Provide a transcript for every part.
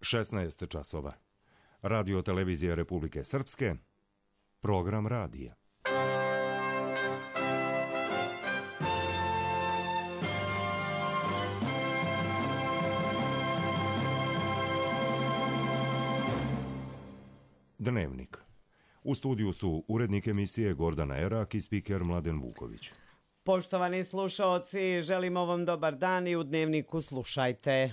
16 časova. Radio televizije Republike Srpske, program radija. Dnevnik. U studiju su urednik emisije Gordana Erak i spiker Mladen Vuković. Poštovani slušaoci, želimo vam dobar dan i u Dnevniku slušajte.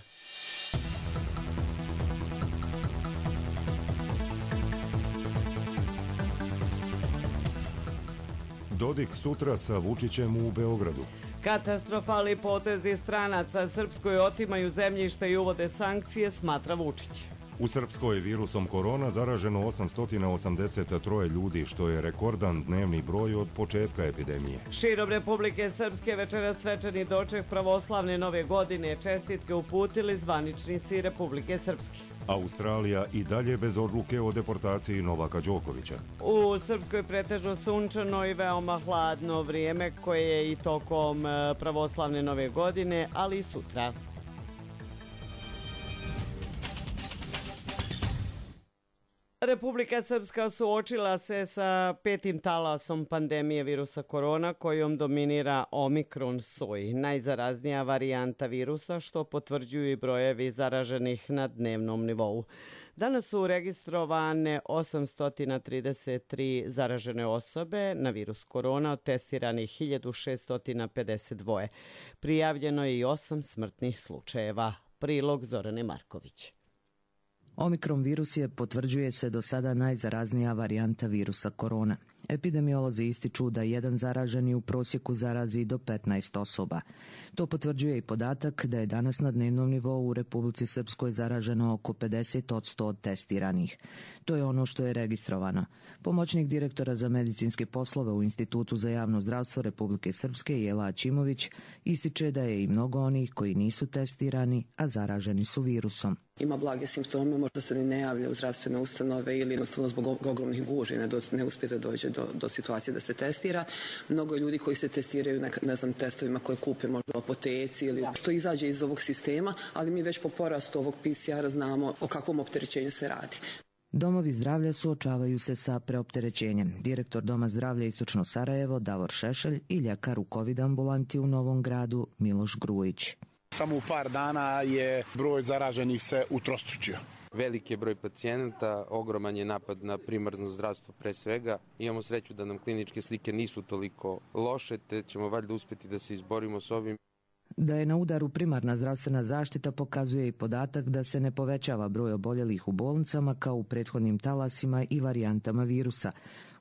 Dodik sutra sa Vučićem u Beogradu. Katastrofalni potezi stranaca Srpskoj otimaju zemljište i uvode sankcije, smatra Vučić. U Srpskoj virusom korona zaraženo 883 ljudi, što je rekordan dnevni broj od početka epidemije. Širom Republike Srpske večeras svečani doček pravoslavne nove godine, čestitke uputili zvaničnici Republike Srpske. Australija i dalje bez odluke o deportaciji Novaka Đokovića. U Srpskoj pretežno sunčano i veoma hladno vrijeme koje je i tokom pravoslavne nove godine, ali i sutra. Republika Srpska suočila se sa petim talasom pandemije virusa korona kojom dominira Omikron soj, najzaraznija varijanta virusa, što potvrđuju i brojevi zaraženih na dnevnom nivou. Danas su registrovane 833 zaražene osobe na virus korona, od testiranih 1652. Prijavljeno je i 8 smrtnih slučajeva. Prilog Zorane Marković. Omikron virus je, potvrđuje se, do sada najzaraznija varijanta virusa korona. Epidemiolozi ističu da jedan zaraženi u prosjeku zarazi do 15 osoba. To potvrđuje i podatak da je danas na dnevnom nivou u Republici Srpskoj zaraženo oko 50% od testiranih. To je ono što je registrovano. Pomoćnik direktora za medicinske poslove u Institutu za javno zdravstvo Republike Srpske, Jela Aćimović, ističe da je i mnogo onih koji nisu testirani, a zaraženi su virusom. Ima blage simptome, možda se ne javlja u zdravstvene ustanove ili jednostavno zbog ogromnih gužvi ne uspije da dođe do situacije da se testira. Mnogo je ljudi koji se testiraju testovima koje kupe možda u apoteci ili što izađe iz ovog sistema, ali mi već po porastu ovog PCR-a znamo o kakvom opterećenju se radi. Domovi zdravlja suočavaju se sa preopterećenjem. Direktor Doma zdravlja Istočno Sarajevo Davor Šešelj i ljekar u COVID ambulanti u Novom Gradu Miloš Grujić. Samo u par dana je broj zaraženih se utrostručio. Veliki je broj pacijenata, ogroman je napad na primarno zdravstvo pre svega. Imamo sreću da nam kliničke slike nisu toliko loše, te ćemo valjda uspjeti da se izborimo s ovim. Da je na udaru primarna zdravstvena zaštita pokazuje i podatak da se ne povećava broj oboljelih u bolnicama kao u prethodnim talasima i varijantama virusa.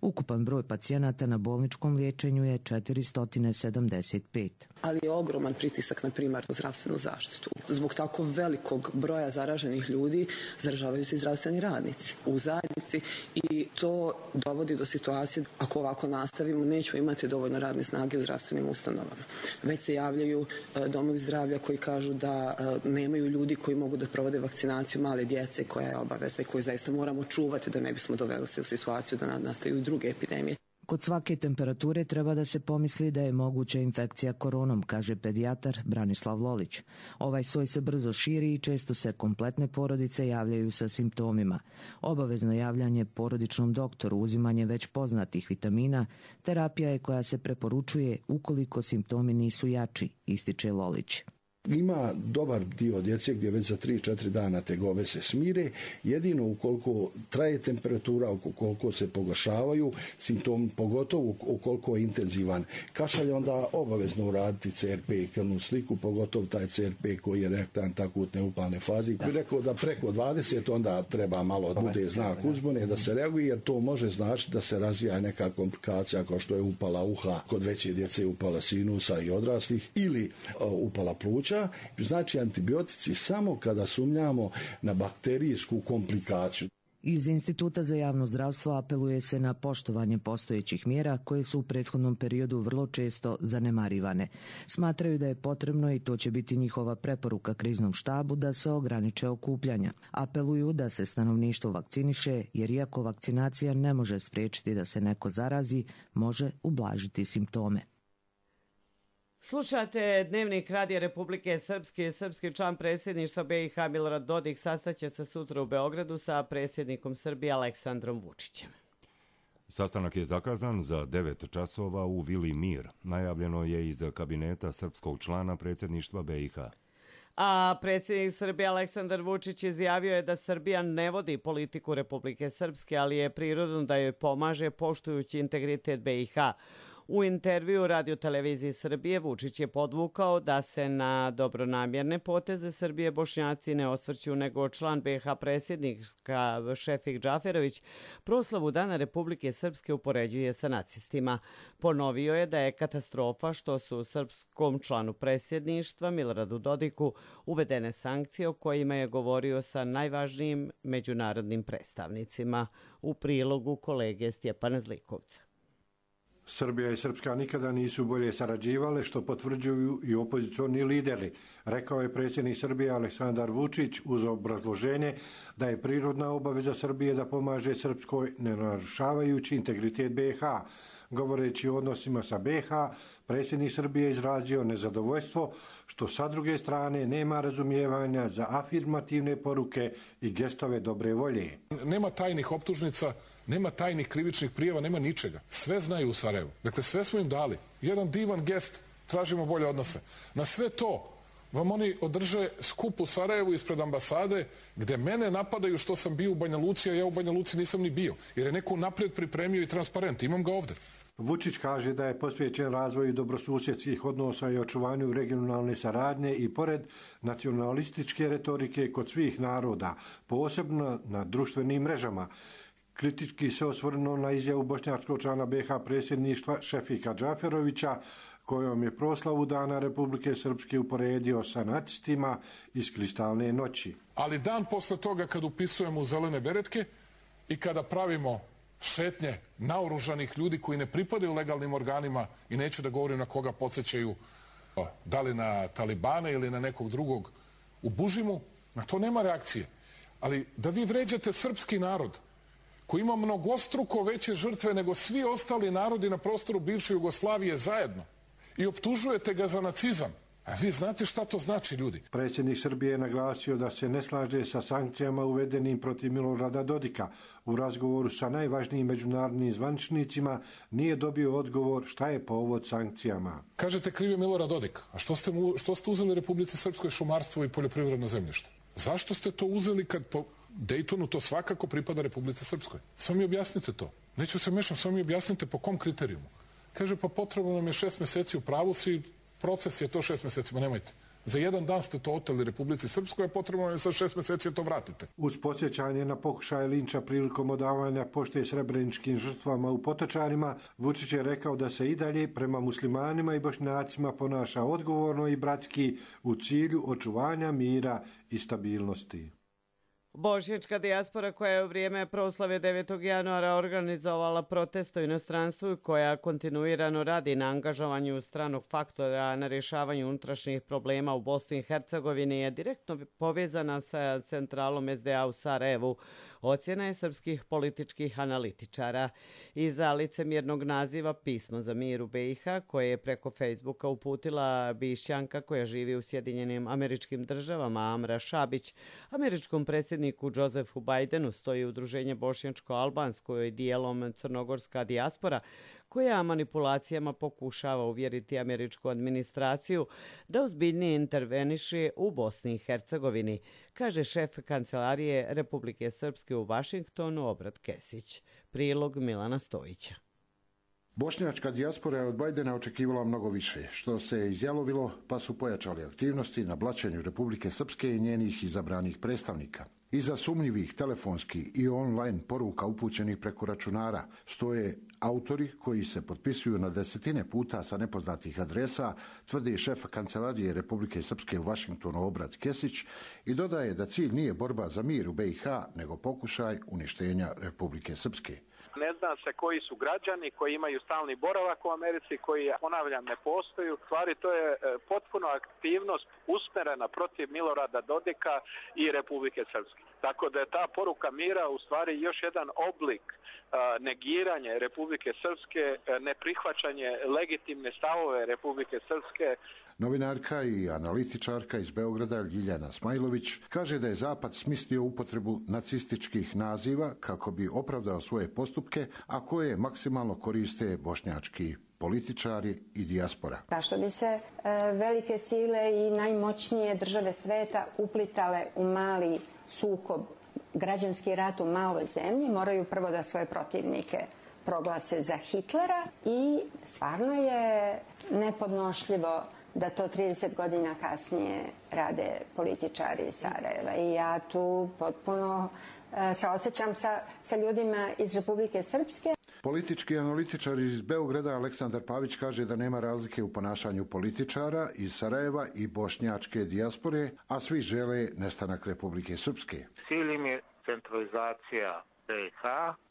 Ukupan broj pacijenata na bolničkom liječenju je 475. Ali je ogroman pritisak na primarnu zdravstvenu zaštitu. Zbog tako velikog broja zaraženih ljudi zaražavaju se i zdravstveni radnici u zajednici i to dovodi do situacije, ako ovako nastavimo, nećemo imati dovoljno radne snage u zdravstvenim ustanovama. Već se javljaju domovi zdravlja koji kažu da nemaju ljudi koji mogu da provode vakcinaciju male djece koja je obavezna i koju zaista moramo čuvati da ne bismo doveli se u situaciju da nastaju druge epidemije. Kod svake temperature treba da se pomisli da je moguća infekcija koronom, kaže pedijatar Branislav Lolić. Ovaj soj se brzo širi i često se kompletne porodice javljaju sa simptomima. Obavezno javljanje porodičnom doktoru, uzimanje već poznatih vitamina, terapija je koja se preporučuje ukoliko simptomi nisu jači, ističe Lolić. Ima dobar dio djece gdje već za 3-4 dana tegobe se smire, jedino ukoliko traje temperatura, ukoliko se pogoršavaju simptomi, pogotovo ukoliko je intenzivan kašalj, onda obavezno uraditi CRP krvnu sliku, pogotovo taj CRP koji je rektant akutne upalne fazi. Bih rekao da preko 20 onda treba malo da bude znak uzbune, da se reaguje, jer to može značiti da se razvija neka komplikacija kao što je upala uha, kod veće djece upala sinusa i odraslih ili upala pluća. Znači antibiotici samo kada sumnjamo na bakterijsku komplikaciju. Iz Instituta za javno zdravstvo apeluje se na poštovanje postojećih mjera koje su u prethodnom periodu vrlo često zanemarivane. Smatraju da je potrebno, i to će biti njihova preporuka kriznom štabu, da se ograniče okupljanja. Apeluju da se stanovništvo vakciniše, jer iako vakcinacija ne može spriječiti da se neko zarazi, može ublažiti simptome. Slušate Dnevnik Radija Republike Srpske. Srpski član predsjedništva BiH Milorad Dodik sastaće se sutra u Beogradu sa predsjednikom Srbije Aleksandrom Vučićem. Sastanak je zakazan za 9 časova u Vili Mir. Najavljeno je iz kabineta srpskog člana predsjedništva BiH. A predsjednik Srbije Aleksandar Vučić izjavio je da Srbija ne vodi politiku Republike Srpske, ali je prirodno da joj pomaže poštujući integritet BiH. U intervju Radio-televiziji Srbije Vučić je podvukao da se na dobronamjerne poteze Srbije Bošnjaci ne osvrću, nego član BiH predsjednika Šefik Džaferović proslavu Dana Republike Srpske upoređuje sa nacistima. Ponovio je da je katastrofa što su srpskom članu predsjedništva Miloradu Dodiku uvedene sankcije o kojima je govorio sa najvažnijim međunarodnim predstavnicima. U prilogu kolege Stjepana Zlikovca. Srbija i Srpska nikada nisu bolje sarađivale, što potvrđuju i opozicioni lideri, rekao je predsjednik Srbije Aleksandar Vučić uz obrazloženje da je prirodna obaveza Srbije da pomaže Srpskoj ne narušavajući integritet BiH. Govoreći o odnosima sa BiH, predsjednik Srbije izrazio nezadovoljstvo što sa druge strane nema razumijevanja za afirmativne poruke i gestove dobre volje. Nema tajnih optužnica, nema tajnih krivičnih prijava, nema ničega. Sve znaju u Sarajevu. Dakle, sve smo im dali. Jedan divan gest, tražimo bolje odnose. Na sve to vam oni održe skup u Sarajevu ispred ambasade gdje mene napadaju što sam bio u Banja Luci, a ja u Banja Luci nisam ni bio. Jer je neko naprijed pripremio i transparent. Imam ga ovdje. Vučić kaže da je posvećen razvoju dobrosusjedskih odnosa i očuvanju regionalne saradnje i pored nacionalističke retorike kod svih naroda, posebno na društvenim mrežama. Kritički se osvrnuo na izjavu bošnjačkog člana BiH predsjedništva Šefika Džaferovića, kojom je proslavu Dana Republike Srpske uporedio sa nacistima iz kristalne noći. Ali dan posle toga kad upisujemo u zelene beretke i kada pravimo šetnje naoružanih ljudi koji ne pripadaju legalnim organima i neću da govorim na koga podsjećaju, da li na Talibane ili na nekog drugog u Bužimu, na to nema reakcije. Ali da vi vređate srpski narod koji ima mnogostruko veće žrtve nego svi ostali narodi na prostoru bivše Jugoslavije zajedno i optužujete ga za nacizam. A vi znate šta to znači, ljudi? Predsjednik Srbije je naglasio da se ne slaže sa sankcijama uvedenim protiv Milorada Dodika. U razgovoru sa najvažnijim međunarodnim zvaničnicima nije dobio odgovor šta je povod sankcijama. Kažete kriv je Milorad Dodik. A što ste uzeli Republici Srpskoj šumarstvo i poljoprivredno zemljište? Zašto ste to uzeli kad po Dejtonu to svakako pripada Republici Srpskoj? Samo mi objasnite to. Neću se mešam, samo mi objasnite po kom kriterijumu. Kaže, pa potrebno nam je 6 mjeseci, u pravu si, proces je to 6 mjeseci, ma nemojte. Za jedan dan ste to oteli Republici Srpskoj, a potrebno nam je sad 6 mjeseci to vratite. Uz podsjećanje na pokušaj linča prilikom odavanja pošte srebreničkim žrtvama u Potočarima, Vučić je rekao da se i dalje prema muslimanima i bošnjacima ponaša odgovorno i bratski u cilju očuvanja mira i stabilnosti. Bošnjačka dijaspora koja je u vrijeme proslave 9. januara organizovala protest u inostranstvu i koja kontinuirano radi na angažovanju stranog faktora na rješavanju unutrašnjih problema u Bosni i Hercegovini je direktno povezana sa centralom SDA u Sarajevu. Ocjena je srpskih političkih analitičara. Iza licemjernog naziva Pismo za mir u BiH, koje je preko Facebooka uputila Bišćanka koja živi u Sjedinjenim Američkim Državama, Amra Šabić, američkom predsjedniku Josefu Bajdenu stoji udruženje bošnjačko-albansko i dijelom crnogorska dijaspora, koja manipulacijama pokušava uvjeriti američku administraciju da ozbiljnije interveniše u Bosni i Hercegovini, kaže šef Kancelarije Republike Srpske u Vašingtonu Obrat Kesić. Prilog Milana Stojića. Bošnjačka dijaspora je od Bajdena očekivala mnogo više, što se izjalovilo pa su pojačali aktivnosti na blaćenju Republike Srpske i njenih izabranih predstavnika. Iza sumnjivih telefonskih i online poruka upućenih preko računara stoje autori koji se potpisuju na desetine puta sa nepoznatih adresa, tvrdi šef Kancelarije Republike Srpske u Vašingtonu Obrat Kesić i dodaje da cilj nije borba za mir u BiH, nego pokušaj uništenja Republike Srpske. Ne zna se koji su građani koji imaju stalni boravak u Americi, koji, ponavljam, ne postoju. Stvari, to je potpuno aktivnost usmerena protiv Milorada Dodika i Republike Srpske. Tako da je ta poruka mira u stvari još jedan oblik negiranje Republike Srpske, neprihvaćanje legitimne stavove Republike Srpske. Novinarka i analitičarka iz Beograda Ljiljana Smajlović kaže da je Zapad smislio upotrebu nacističkih naziva kako bi opravdao svoje postupke, a koje maksimalno koriste bošnjački političari i dijaspora. Zašto bi se velike sile i najmoćnije države sveta uplitale u mali sukob, građanski rat u maloj zemlji, moraju prvo da svoje protivnike proglase za Hitlera i stvarno je nepodnošljivo da to 30 godina kasnije rade političari iz Sarajeva. I ja tu potpuno se osjećam sa ljudima iz Republike Srpske. Politički analitičar iz Beograda Aleksandar Pavić kaže da nema razlike u ponašanju političara iz Sarajeva i bošnjačke dijaspore, a svi žele nestanak Republike Srpske. Cilj im je centralizacija BiH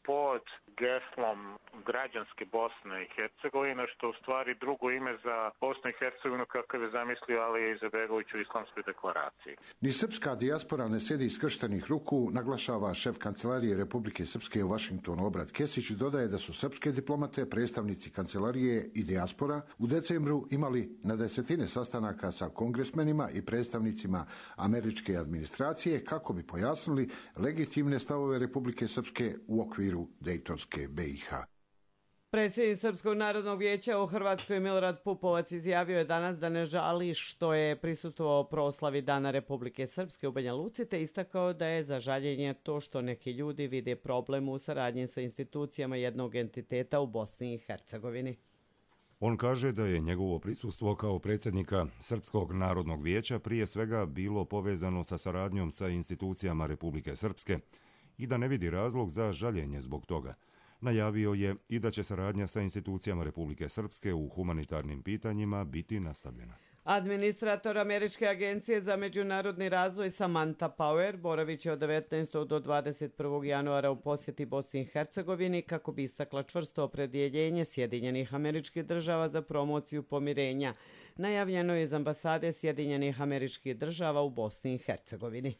pod geslom građanske Bosne i Hercegovine, što u stvari drugo ime za Bosnu i Hercegovinu kakav je zamislio Alija Izetbegović u Islamskoj deklaraciji. Ni srpska dijaspora ne sjedi iskrštenih ruku, naglašava šef kancelarije Republike Srpske u Vašingtonu Obrat Kesić, dodaje da su srpske diplomate, predstavnici kancelarije i dijaspora u decembru imali na desetine sastanaka sa kongresmenima i predstavnicima američke administracije kako bi pojasnili legitimne stavove Republike Srpske u okviru Dejtonske BiH. Predsjednik Srpskog narodnog vijeća u Hrvatskoj Milorad Pupovac izjavio je danas da ne žali što je prisustvovao proslavi Dana Republike Srpske u Banja Luci, te istakao da je za žaljenje to što neki ljudi vide problem u saradnji sa institucijama jednog entiteta u Bosni i Hercegovini. On kaže da je njegovo prisustvo kao predsjednika Srpskog narodnog vijeća prije svega bilo povezano sa saradnjom sa institucijama Republike Srpske i da ne vidi razlog za žaljenje zbog toga. Najavio je i da će saradnja sa institucijama Republike Srpske u humanitarnim pitanjima biti nastavljena. Administrator Američke agencije za međunarodni razvoj Samantha Power boravit će od 19. do 21. januara u posjeti Bosni i Hercegovini kako bi istakla čvrsto opredjeljenje Sjedinjenih Američkih Država za promociju pomirenja. Najavljeno je iz ambasade Sjedinjenih Američkih Država u Bosni i Hercegovini.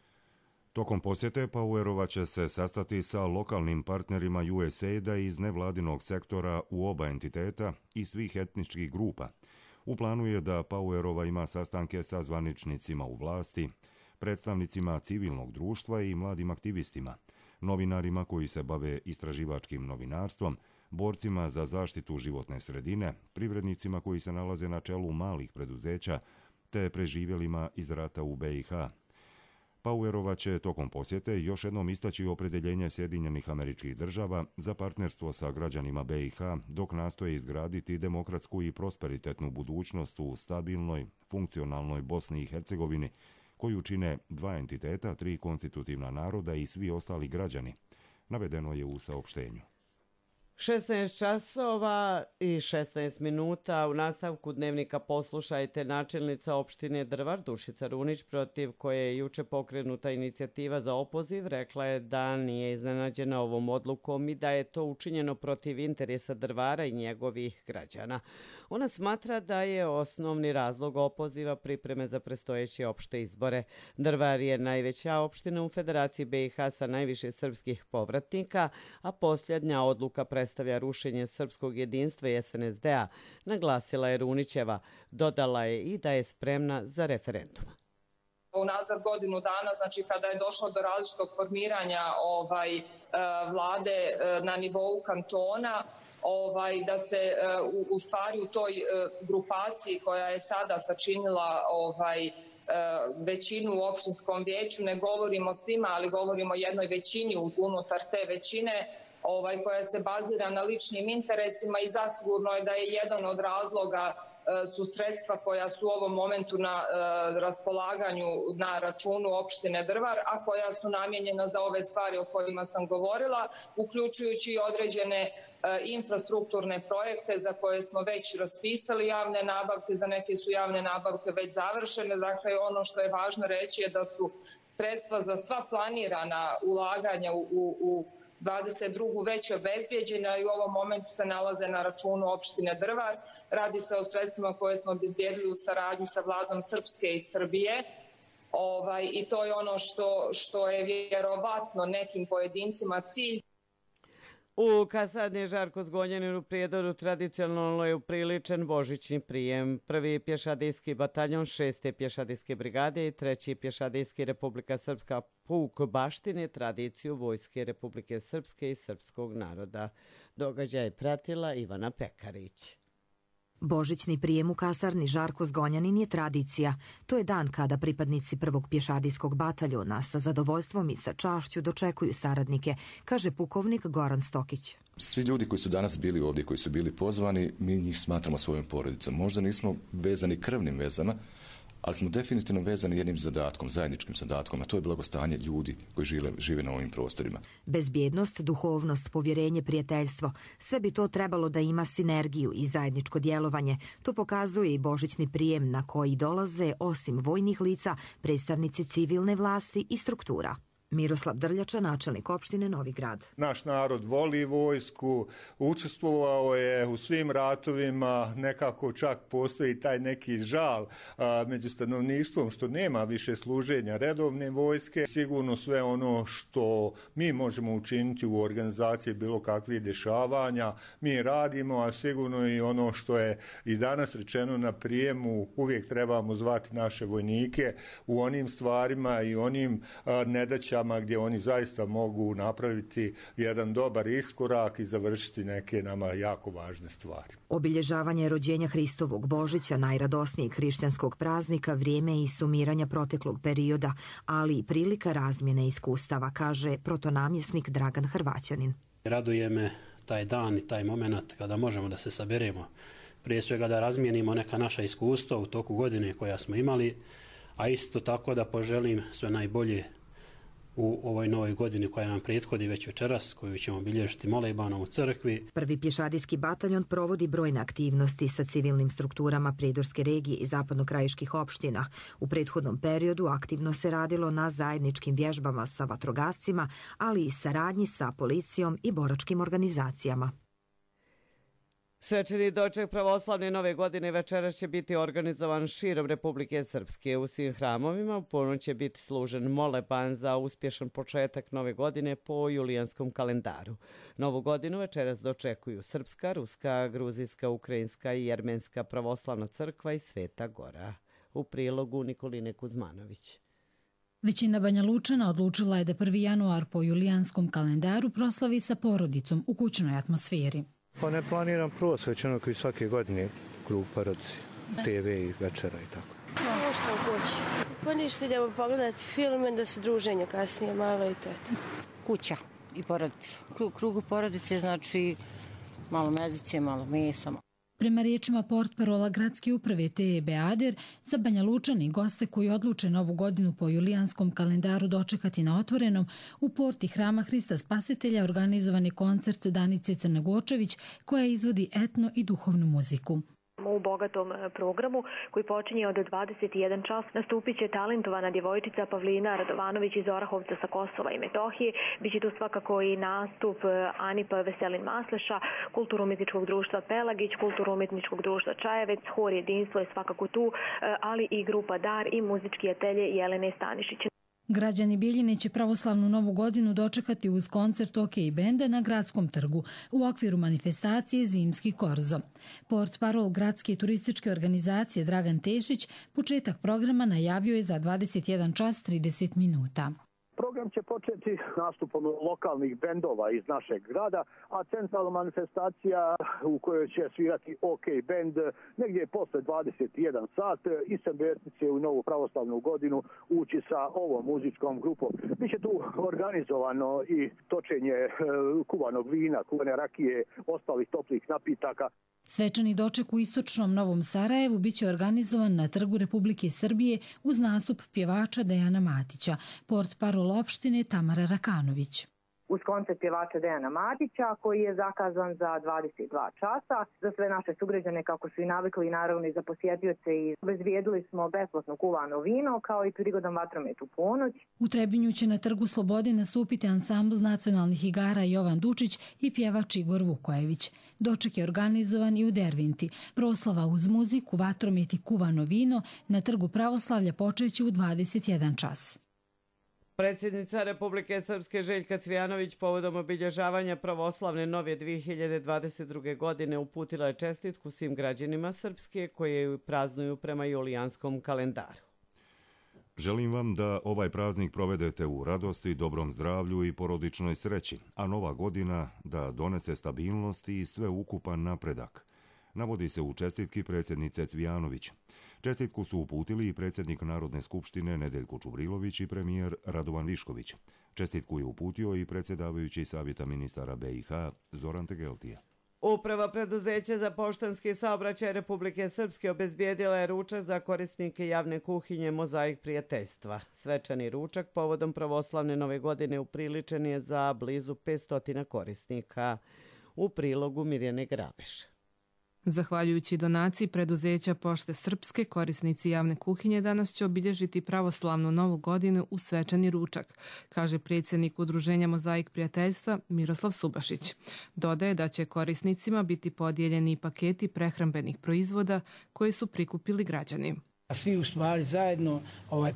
Tokom posjete Powerova će se sastati sa lokalnim partnerima USAID-a iz nevladinog sektora u oba entiteta i svih etničkih grupa. U planu je da Powerova ima sastanke sa zvaničnicima u vlasti, predstavnicima civilnog društva i mladim aktivistima, novinarima koji se bave istraživačkim novinarstvom, borcima za zaštitu životne sredine, privrednicima koji se nalaze na čelu malih preduzeća, te preživjelima iz rata u BiH. Powerova će tokom posjete još jednom istaći opredjeljenje Sjedinjenih Američkih Država za partnerstvo sa građanima BiH dok nastoje izgraditi demokratsku i prosperitetnu budućnost u stabilnoj, funkcionalnoj Bosni i Hercegovini, koju čine dva entiteta, 3 konstitutivna naroda i svi ostali građani, navedeno je u saopštenju. 16 časova i 16 minuta u nastavku dnevnika poslušajte načelnica opštine Drvar Dušica Runić, protiv koje je juče pokrenuta inicijativa za opoziv, rekla je da nije iznenađena ovom odlukom i da je to učinjeno protiv interesa Drvara i njegovih građana. Ona smatra da je osnovni razlog opoziva pripreme za predstojeće opšte izbore. Drvar je najveća opština u Federaciji BiH sa najviše srpskih povratnika, a posljednja odluka predstavlja rušenje srpskog jedinstva i SNSD-a, naglasila je Runićeva. Dodala je i da je spremna za referendum. Unazad godinu dana, znači kada je došlo do različitog formiranja vlade na nivou kantona, da se u stvari u toj grupaciji koja je sada sačinila većinu u opštinskom vijeću, ne govorimo svima, ali govorimo o jednoj većini unutar te većine, koja se bazira na ličnim interesima i zasigurno je da je jedan od razloga su sredstva koja su u ovom momentu na raspolaganju na računu opštine Drvar, a koja su namijenjena za ove stvari o kojima sam govorila, uključujući i određene infrastrukturne projekte za koje smo već raspisali javne nabavke, za neke su javne nabavke već završene. Dakle, ono što je važno reći je da su sredstva za sva planirana ulaganja u 2022. već obezbijeđena i u ovom momentu se nalaze na računu opštine Drvar. Radi se o sredstvima koje smo obezbijedili u saradnju sa vladom Srpske i Srbije. I to je ono što je vjerovatno nekim pojedincima cilj. U kasarni Žarko Zgonjanin u Prijedoru tradicionalno je upriličen božićni prijem. Prvi pješadijski bataljon 6. pješadijske brigade i 3. pješadijski Republika Srpska puk baštine tradiciju Vojske Republike Srpske i srpskog naroda. Događaj je pratila Ivana Pekarić. Božićni prijem u kasarni Žarko Zgonjanin je tradicija. To je dan kada pripadnici prvog pješadijskog bataljona sa zadovoljstvom i sa čašću dočekuju saradnike, kaže pukovnik Goran Stokić. Svi ljudi koji su danas bili ovdje, koji su bili pozvani, mi njih smatramo svojom porodicom. Možda nismo vezani krvnim vezama, ali smo definitivno vezani jednim zadatkom, zajedničkim zadatkom, a to je blagostanje ljudi koji žive na ovim prostorima. Bezbjednost, duhovnost, povjerenje, prijateljstvo, sve bi to trebalo da ima sinergiju i zajedničko djelovanje. To pokazuje i božićni prijem na koji dolaze, osim vojnih lica, predstavnici civilne vlasti i struktura. Miroslav Drljača, načelnik opštine Novi Grad. Naš narod voli vojsku, učestvovao je u svim ratovima, nekako čak postoji taj neki žal među stanovništvom što nema više služenja redovne vojske. Sigurno sve ono što mi možemo učiniti u organizaciji bilo kakvih dešavanja, mi radimo, a sigurno i ono što je i danas rečeno na prijemu, uvijek trebamo zvati naše vojnike u onim stvarima i onim nedaćama gdje oni zaista mogu napraviti jedan dobar iskorak i završiti neke nama jako važne stvari. Obilježavanje rođenja Hristovog Božića, najradosnijeg hrišćanskog praznika, vrijeme i sumiranja proteklog perioda, ali i prilika razmjene iskustava, kaže protonamjesnik Dragan Hrvaćanin. Raduje me taj dan i taj moment kada možemo da se saberemo. Prije svega da razmijenimo neka naša iskustva u toku godine koja smo imali, a isto tako da poželim sve najbolje u ovoj novoj godini koja nam prethodi već večeras, koju ćemo obilježiti molebanom u crkvi. Prvi pješadijski bataljon provodi brojne aktivnosti sa civilnim strukturama Prijedorske regije i zapadnokrajiških opština. U prethodnom periodu aktivno se radilo na zajedničkim vježbama sa vatrogascima, ali i saradnji sa policijom i boračkim organizacijama. Svečani doček pravoslavne nove godine večeras će biti organizovan širom Republike Srpske. U svim hramovima u ponoć će biti služen moleban za uspješan početak nove godine po julijanskom kalendaru. Novu godinu večeras dočekuju Srpska, Ruska, Gruzijska, Ukrajinska i Jermenska pravoslavna crkva i Sveta Gora. U prilogu Nikoline Kuzmanović. Većina Banja Lučana odlučila je da 1. januar po julijanskom kalendaru proslavi sa porodicom u kućnoj atmosferi. Pa ne planiram prvo svećano koji svake godine krug porodice, TV i večera i tako. Možda u kući. Pa ništa, idemo pogledati filme da se druženje kasnije malo i to. Kuća i porodica. Krugu porodice znači malo mezice, malo mesa. Prema riječima portparola gradske uprave Teje Beader, za Banja Lučani goste koji odluče novu godinu po julijanskom kalendaru dočekati na otvorenom, u porti Hrama Hrista Spasitelja organizovan je koncert Danice Crnogorčević koja izvodi etno i duhovnu muziku. U bogatom programu koji počinje od 21 čas nastupit će talentovana djevojčica Pavlina Radovanović iz Orahovca sa Kosova i Metohije. Biće tu svakako i nastup Anipa Veselin Masleša, kulturno-umjetničkog društva Pelagić, kulturno-umjetničkog društva Čajevec, hor Jedinstvo je svakako tu, ali i grupa Dar i muzički atelje Jelene Stanišić. Građani Bijeljine će pravoslavnu novu godinu dočekati uz koncert OK benda na Gradskom trgu u okviru manifestacije Zimski korzo. Portparol gradske turističke organizacije Dragan Tešić početak programa najavio je za 21 čas 30 minuta. Program će početi nastupom lokalnih bendova iz našeg grada, a centralna manifestacija u kojoj će svirati OK bend negdje posle 21 sat i Sembertice u novu pravoslavnu godinu ući sa ovom muzičkom grupom. Biće tu organizovano i točenje kuvanog vina, kuvane rakije, ostalih toplih napitaka. Svečani doček u istočnom Novom Sarajevu biće organizovan na Trgu Republike Srbije uz nastup pjevača Dejana Matića, portparol opštine Tamara Rakanović. uz koncert pjevača Dejana Matića koji je zakazan za 22 časa. Za sve naše sugrađane, kako su i navikli, i naravno i za posjetioce, i obezbijedili smo besplatno kuvano vino kao i prigodom vatromet u ponoć. U Trebinju će na Trgu Slobode nastupiti ansambl nacionalnih igara Jovan Dučić i pjevač Igor Vukojević. Doček je organizovan i u Dervinti. Proslava uz muziku, vatromet i kuvano vino na Trgu Pravoslavlja počeće u 21 čas. Predsjednica Republike Srpske Željka Cvijanović povodom obilježavanja pravoslavne nove 2022. godine uputila je čestitku svim građanima Srpske koji je praznuju prema julijanskom kalendaru. Želim vam da ovaj praznik provedete u radosti, dobrom zdravlju i porodičnoj sreći, a nova godina da donese stabilnost i sveukupan napredak, navodi se u čestitki predsjednice Cvijanović. Čestitku su uputili i predsjednik Narodne skupštine Nedeljko Čubrilović i premijer Radovan Višković. Čestitku je uputio i predsjedavajući Savjeta ministara BiH Zoran Tegeltija. Uprava preduzeća za poštanski saobraćaj Republike Srpske obezbijedila je ručak za korisnike javne kuhinje Mozaik prijateljstva. Svečani ručak povodom pravoslavne nove godine upriličen je za blizu 500 korisnika. U prilogu Mirjane Grabeš. Zahvaljujući donaciji preduzeća Pošte Srpske, korisnici javne kuhinje danas će obilježiti pravoslavnu novu godinu u svečani ručak, kaže predsjednik Udruženja Mozaik prijateljstva Miroslav Subašić. Dodaje da će korisnicima biti podijeljeni paketi prehrambenih proizvoda koje su prikupili građani. Svi u stvari zajedno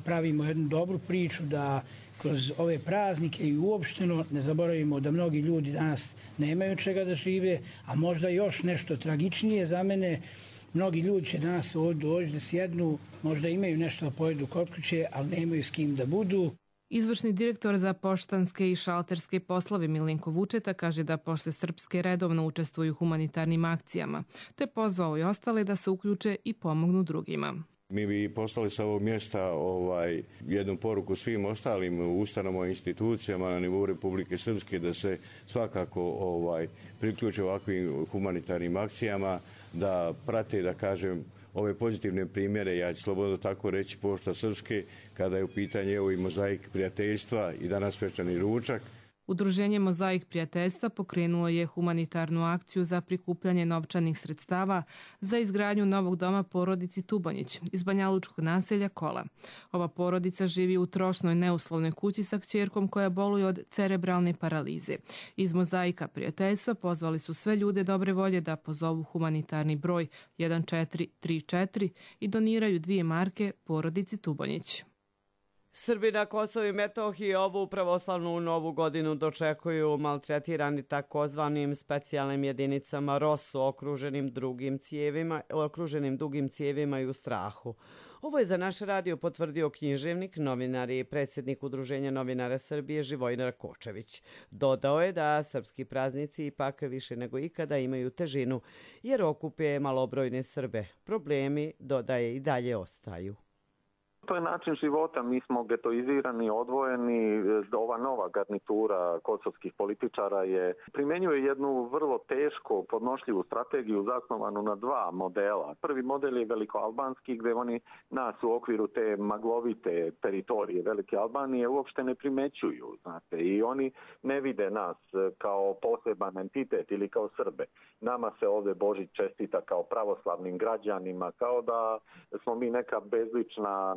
pravimo jednu dobru priču da kroz ove praznike i uopšteno ne zaboravimo da mnogi ljudi danas nemaju čega da žive, a možda još nešto tragičnije za mene. Mnogi ljudi će danas ovdje doći da sjednu, možda imaju nešto da pojedu kod kuće, ali nemaju s kim da budu. Izvršni direktor za poštanske i šalterske poslove Milenko Vučeta kaže da Pošte Srpske redovno učestvuju u humanitarnim akcijama, te pozvao i ostale da se uključe i pomognu drugima. Mi bi poslali sa ovog mjesta jednu poruku svim ostalim ustanovama i institucijama na nivou Republike Srpske da se svakako priključe ovakvim humanitarnim akcijama, da prate, da kažem, ove pozitivne primjere, ja ću slobodno tako reći, Pošta Srpske, kada je u pitanju i Mozaik prijateljstva i danas svečani ručak. Udruženje Mozaik prijateljstva pokrenuo je humanitarnu akciju za prikupljanje novčanih sredstava za izgradnju novog doma porodici Tubonjić iz banjalučkog naselja Kola. Ova porodica živi u trošnoj neuslovnoj kući sa kćerkom koja boluje od cerebralne paralize. Iz Mozaika prijateljstva pozvali su sve ljude dobre volje da pozovu humanitarni broj 1434 i doniraju 2 marke porodici Tubonjić. Srbi na Kosovu i Metohiji ovu pravoslavnu novu godinu dočekuju maltretirani takozvanim specijalnim jedinicama ROSU okruženim dugim cijevima i u strahu. Ovo je za naš radio potvrdio književnik, novinar i predsjednik Udruženja novinara Srbije Živojin Rakočević. Dodao je da srpski praznici ipak više nego ikada imaju težinu jer okupe malobrojne Srbe. Problemi, dodaje, i dalje ostaju. To je način života, mi smo getoizirani, odvojeni. Ova nova garnitura kosovskih političara primjenjuje jednu vrlo teško podnošljivu strategiju zasnovanu na 2 modela. Prvi model je velikoalbanski, gdje oni nas u okviru te maglovite teritorije Velike Albanije uopšte ne primećuju, znate, i oni ne vide nas kao poseban entitet ili kao Srbe. Nama se ovdje Božić čestita kao pravoslavnim građanima, kao da smo mi neka bezlična,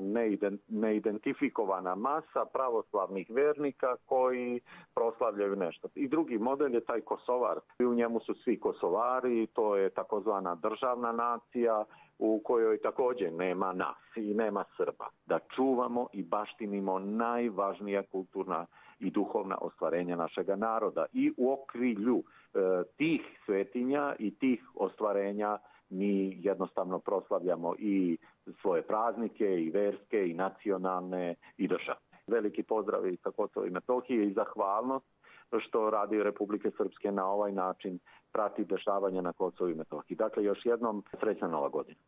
neidentifikovana masa pravoslavnih vernika koji proslavljaju nešto. I drugi model je taj Kosovar. U njemu su svi Kosovari, to je takozvana državna nacija u kojoj također nema nas i nema Srba. Da čuvamo i baštinimo najvažnija kulturna i duhovna ostvarenja našega naroda. I u okrilju tih svetinja i tih ostvarenja mi jednostavno proslavljamo i svoje praznike, i verske, i nacionalne, i državne. Veliki pozdrav i sa Kosova i Metohije i zahvalnost što Radio Republike Srpske na ovaj način prati dešavanja na Kosovu i Metohiji. Dakle, još jednom srećna nova godina.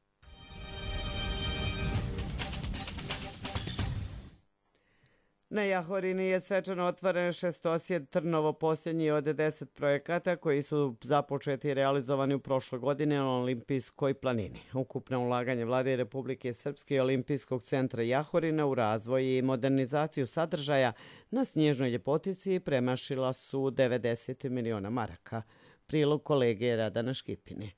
Na Jahorini je svečano otvoren šestosjed Trnovo, posljednji od 10 projekata koji su započeti i realizovani u prošloj godini na Olimpijskoj planini. Ukupno ulaganje Vlade Republike Srpske i Olimpijskog centra Jahorina u razvoj i modernizaciju sadržaja na snježnoj ljepotici premašila su 90 miliona maraka. Prilog kolege Radana Škipine.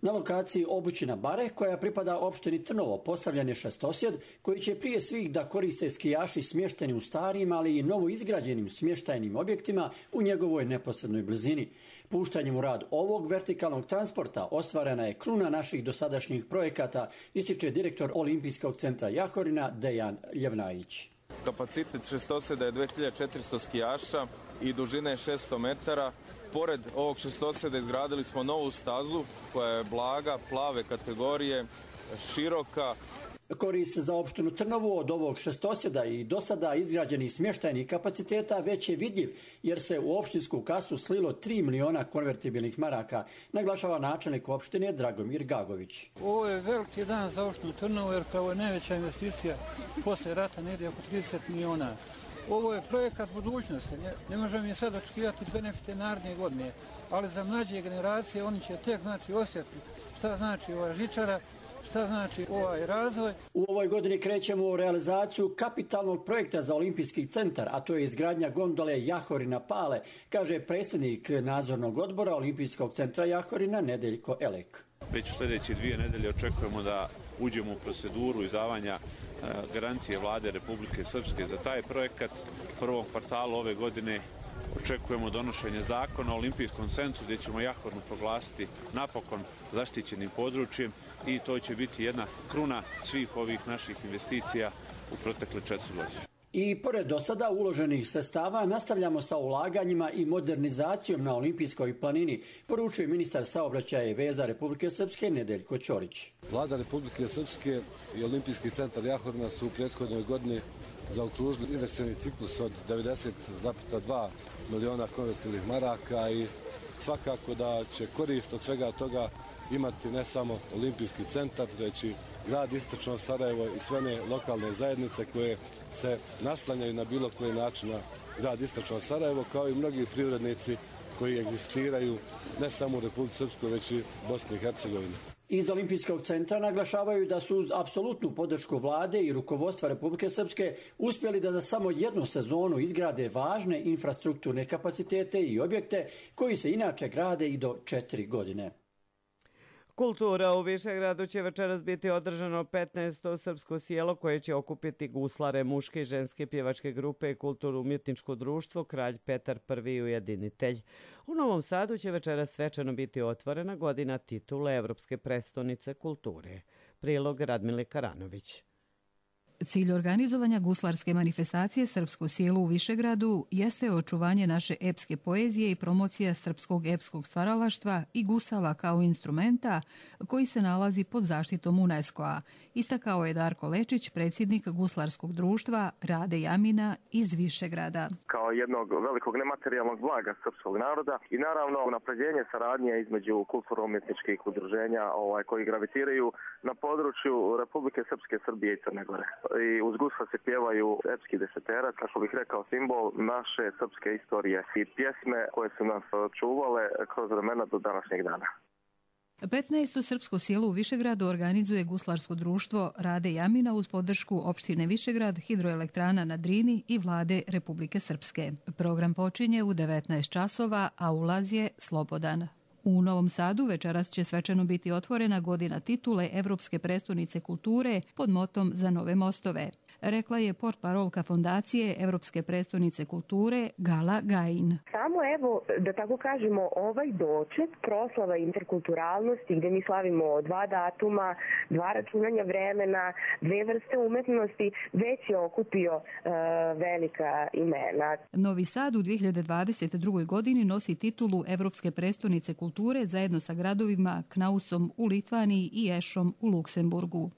Na lokaciji Obućina Bare, koja pripada opštini Trnovo, postavljen je šestosjed koji će prije svih da koriste skijaši smješteni u starijim, ali i novo izgrađenim smještajnim objektima u njegovoj neposrednoj blizini. Puštanjem u rad ovog vertikalnog transporta ostvarena je kruna naših dosadašnjih projekata, ističe direktor Olimpijskog centra Jahorina Dejan Ljevnajić. Kapacitet šestosjeda je 2400 skijaša i dužina je 600 metara. Pored ovog šestosjeda izgradili smo novu stazu koja je blaga, plave kategorije, široka. Korist za opštinu Trnovu od ovog šestosjeda i do sada izgrađenih smještajnih kapaciteta već je vidljiv, jer se u opštinsku kasu slilo 3 miliona konvertibilnih maraka, naglašava načelnik opštine Dragomir Gagović. Ovo je veliki dan za opštinu Trnovu, jer kao je najveća investicija posle rata negdje oko 30 miliona. Ovo je projekat budućnosti, ne možemo je sad očekivati benefite naredne godine, ali za mlađe generacije oni će tek osjetiti šta znači ova žičara, šta znači ovaj razvoj. U ovoj godini krećemo u realizaciju kapitalnog projekta za Olimpijski centar, a to je izgradnja gondole Jahorina Pale, kaže predsjednik nadzornog odbora Olimpijskog centra Jahorina Nedeljko Elek. Već u sljedeće 2 nedelje očekujemo da uđemo u proceduru izdavanja garancije Vlade Republike Srpske za taj projekat. U prvom kvartalu ove godine očekujemo donošenje zakona o Olimpijskom centru gdje ćemo Jahorinu proglasiti napokon zaštićenim područjem i to će biti jedna kruna svih ovih naših investicija u protekle 4 godine. I pored do sada uloženih sredstava nastavljamo sa ulaganjima i modernizacijom na Olimpijskoj planini, poručuje ministar saobraćaja i veza Republike Srpske Nedeljko Ćorić. Vlada Republike Srpske i Olimpijski centar Jahorina su u prethodnoj godini zaokružili investicioni ciklus od 90,2 miliona konvertibilnih maraka i svakako da će korist od svega toga imati ne samo Olimpijski centar, već i grad Istočno Sarajevo i sve one lokalne zajednice koje se naslanjaju na bilo koji način na grad Istočno Sarajevo, kao i mnogi privrednici koji egzistiraju ne samo u Republici Srpskoj, već i Bosni i Hercegovini. Iz Olimpijskog centra naglašavaju da su uz apsolutnu podršku vlade i rukovodstva Republike Srpske uspjeli da za samo jednu sezonu izgrade važne infrastrukturne kapacitete i objekte koji se inače grade i do 4 godine. Kultura u Višegradu će večeras biti održano 15. srpsko sjelo koje će okupiti guslare muške i ženske pjevačke grupe i kulturno-umjetničko društvo Kralj Petar I ujedinitelj. U Novom Sadu će večeras svečano biti otvorena godina titule Evropske prestonice kulture. Prilog Radmile Karanović. Cilj organizovanja guslarske manifestacije Srpsko sjelo u Višegradu jeste očuvanje naše epske poezije i promocija srpskog epskog stvaralaštva i gusala kao instrumenta koji se nalazi pod zaštitom UNESCO-a, istakao je Darko Lečić, predsjednik guslarskog društva Rade Jamina iz Višegrada. Kao jednog velikog nematerijalnog blaga srpskog naroda i naravno unapređenje saradnje između kulturno-umjetničkih udruženja koji gravitiraju na području Republike Srpske, Srbije i Crne Gore. I uz gusla se pjevaju epski deseterac, kako bih rekao, simbol naše srpske istorije i pjesme koje su nas čuvale kroz vremena do današnjeg dana. 15. srpsko sjelo u Višegradu organizuje guslarsko društvo Rade Jamina uz podršku opštine Višegrad, hidroelektrana na Drini i vlade Republike Srpske. Program počinje u 19 časova, a ulaz je slobodan. U Novom Sadu večeras će svečano biti otvorena godina titule Evropske prestonice kulture pod motom Za nove mostove, rekla je portparolka fondacije Evropske prestonice kulture Gala Gajin. Samo evo, da tako kažemo, ovaj doček proslava interkulturalnosti gdje mi slavimo 2 datuma, 2 računanja vremena, 2 vrste umetnosti, već je okupio velika imena. Novi Sad u 2022. godini nosi titulu Evropske prestonice kulture zajedno sa gradovima Knausom u Litvaniji i Ešom u Luksemburgu.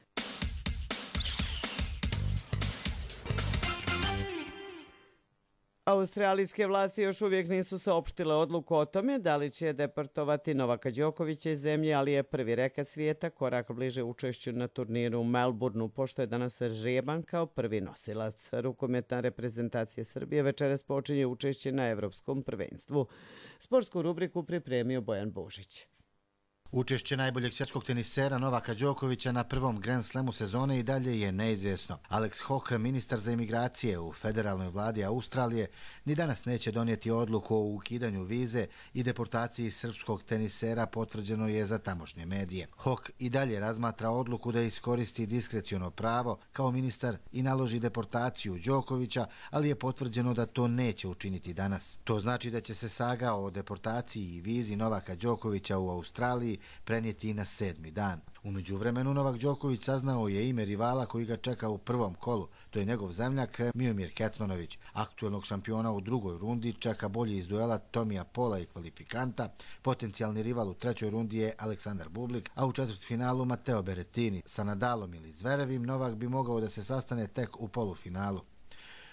Australijske vlasti još uvijek nisu saopštile odluku o tome da li će deportovati Novaka Đokovića iz zemlje, ali je prvi rekat svijeta korak bliže učešću na turniru u Melbourneu, pošto je danas žreban kao prvi nosilac. Rukometna reprezentacija Srbije večeras počinje učešće na Evropskom prvenstvu. Sportsku rubriku pripremio Bojan Božić. Učešće najboljeg svjetskog tenisera Novaka Đokovića na prvom Grand Slamu sezone i dalje je neizvjesno. Alex Hock, ministar za imigracije u federalnoj vladi Australije, ni danas neće donijeti odluku o ukidanju vize i deportaciji srpskog tenisera, potvrđeno je za tamošnje medije. Hock i dalje razmatra odluku da iskoristi diskreciono pravo kao ministar i naloži deportaciju Đokovića, ali je potvrđeno da to neće učiniti danas. To znači da će se saga o deportaciji i vizi Novaka Đokovića u Australiji prenijeti na 7. dan. U međuvremenu Novak Đoković saznao je ime rivala koji ga čeka u prvom kolu. To je njegov zemljak Miomir Kecmanović. Aktuelnog šampiona u drugoj rundi čeka bolji iz duela Tomija Pola i kvalifikanta. Potencijalni rival u trećoj rundi je Aleksandar Bublik, a u četvrtfinalu Matteo Berrettini. Sa Nadalom ili Zverevim Novak bi mogao da se sastane tek u polufinalu.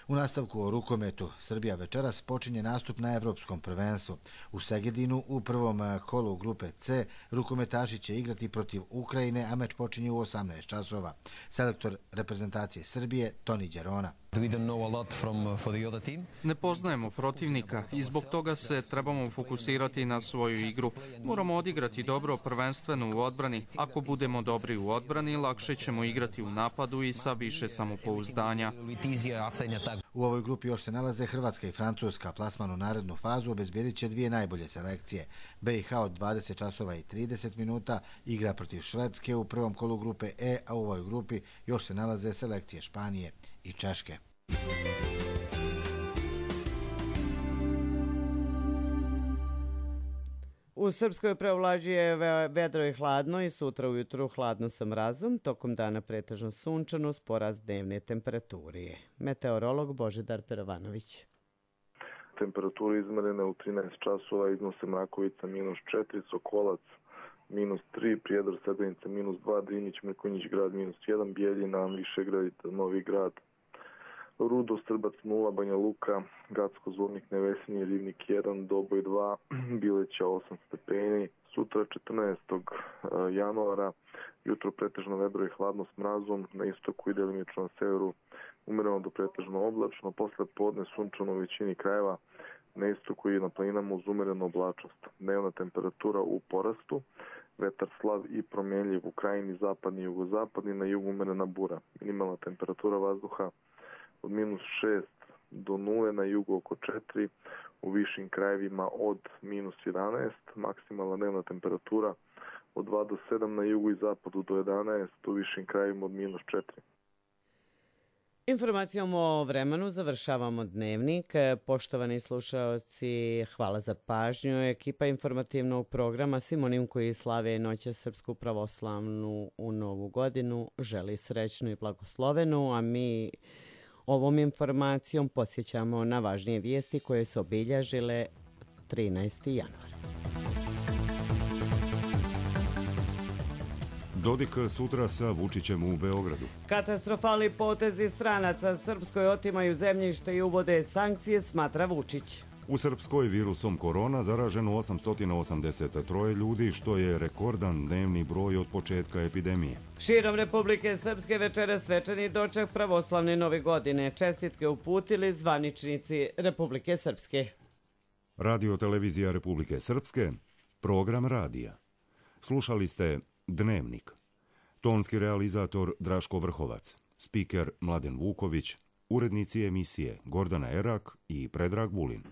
U nastavku o rukometu, Srbija večeras počinje nastup na Evropskom prvenstvu. U Segedinu u prvom kolu grupe C rukometaši će igrati protiv Ukrajine, a meč počinje u 18 časova. Selektor reprezentacije Srbije, Toni Đerona. Ne poznajemo protivnika i zbog toga se trebamo fokusirati na svoju igru. Moramo odigrati dobro prvenstveno u odbrani. Ako budemo dobri u odbrani, lakše ćemo igrati u napadu i sa više samopouzdanja. U ovoj grupi još se nalaze Hrvatska i Francuska. Plasman u narednu fazu obezbjedit će dvije najbolje selekcije. BiH od 20 časova i 30 minuta igra protiv Švedske u prvom kolu grupe E, a u ovoj grupi još se nalaze selekcije Španije i Češke. U Srpskoj preovlađuje vedro i hladno i sutra ujutru hladno sa mrazom, tokom dana pretežno sunčano s porast dnevne temperature. Meteorolog Božidar Perovanović. Temperature izmerene u 13 časova iznose Mrakovica -4, Sokolac -3, Prijedor, Srebrnica -2, Drinić, Mrkonjić grad -1, Bijeljina, Višegrad, Novi grad, Rudo, Strbac 0, Banja Luka, Gacko, Zvornik, Nevesinje, Rivnik 1, Doboj 2, Bileća 8 stepeni. Sutra 14. januara, jutro pretežno vedro i hladno s mrazom, na istoku i delimično na severu umereno do pretežno oblačno, posle podne sunčano u većini krajeva, na istoku i na planinama uz umerenu oblačnost. Dnevna temperatura u porastu, vetar slab i promjenljiv u krajini zapadni i jugozapadni, na jugu umerena bura. Minimalna temperatura vazduha od -6 do 0, na jugu oko 4, u višim krajevima od -11, maksimalna dnevna temperatura od 2 do 7, na jugu i zapadu do 11, u višim krajevima od -4. Informacijom o vremenu završavamo dnevnik. Poštovani slušaoci, hvala za pažnju. Ekipa informativnog programa svim onim koji slave noće Srpsku pravoslavnu u Novu godinu želi srećnu i blagoslovenu, a mi ovom informacijom podsjećamo na važnije vijesti koje su obilježile 13. januar. Dodik sutra sa Vučićem u Beogradu. Katastrofalni potezi stranaca Srpskoj otimaju zemljište i uvode sankcije, smatra Vučić. U Srpskoj virusom korona zaraženo 883 ljudi, što je rekordan dnevni broj od početka epidemije. Širom Republike Srpske večera svečani doček pravoslavne nove godine. Čestitke uputili zvaničnici Republike Srpske. Radio televizija Republike Srpske, program radija. Slušali ste Dnevnik. Tonski realizator Draško Vrhovac, spiker Mladen Vuković, urednici emisije Gordana Erak i Predrag Vulin.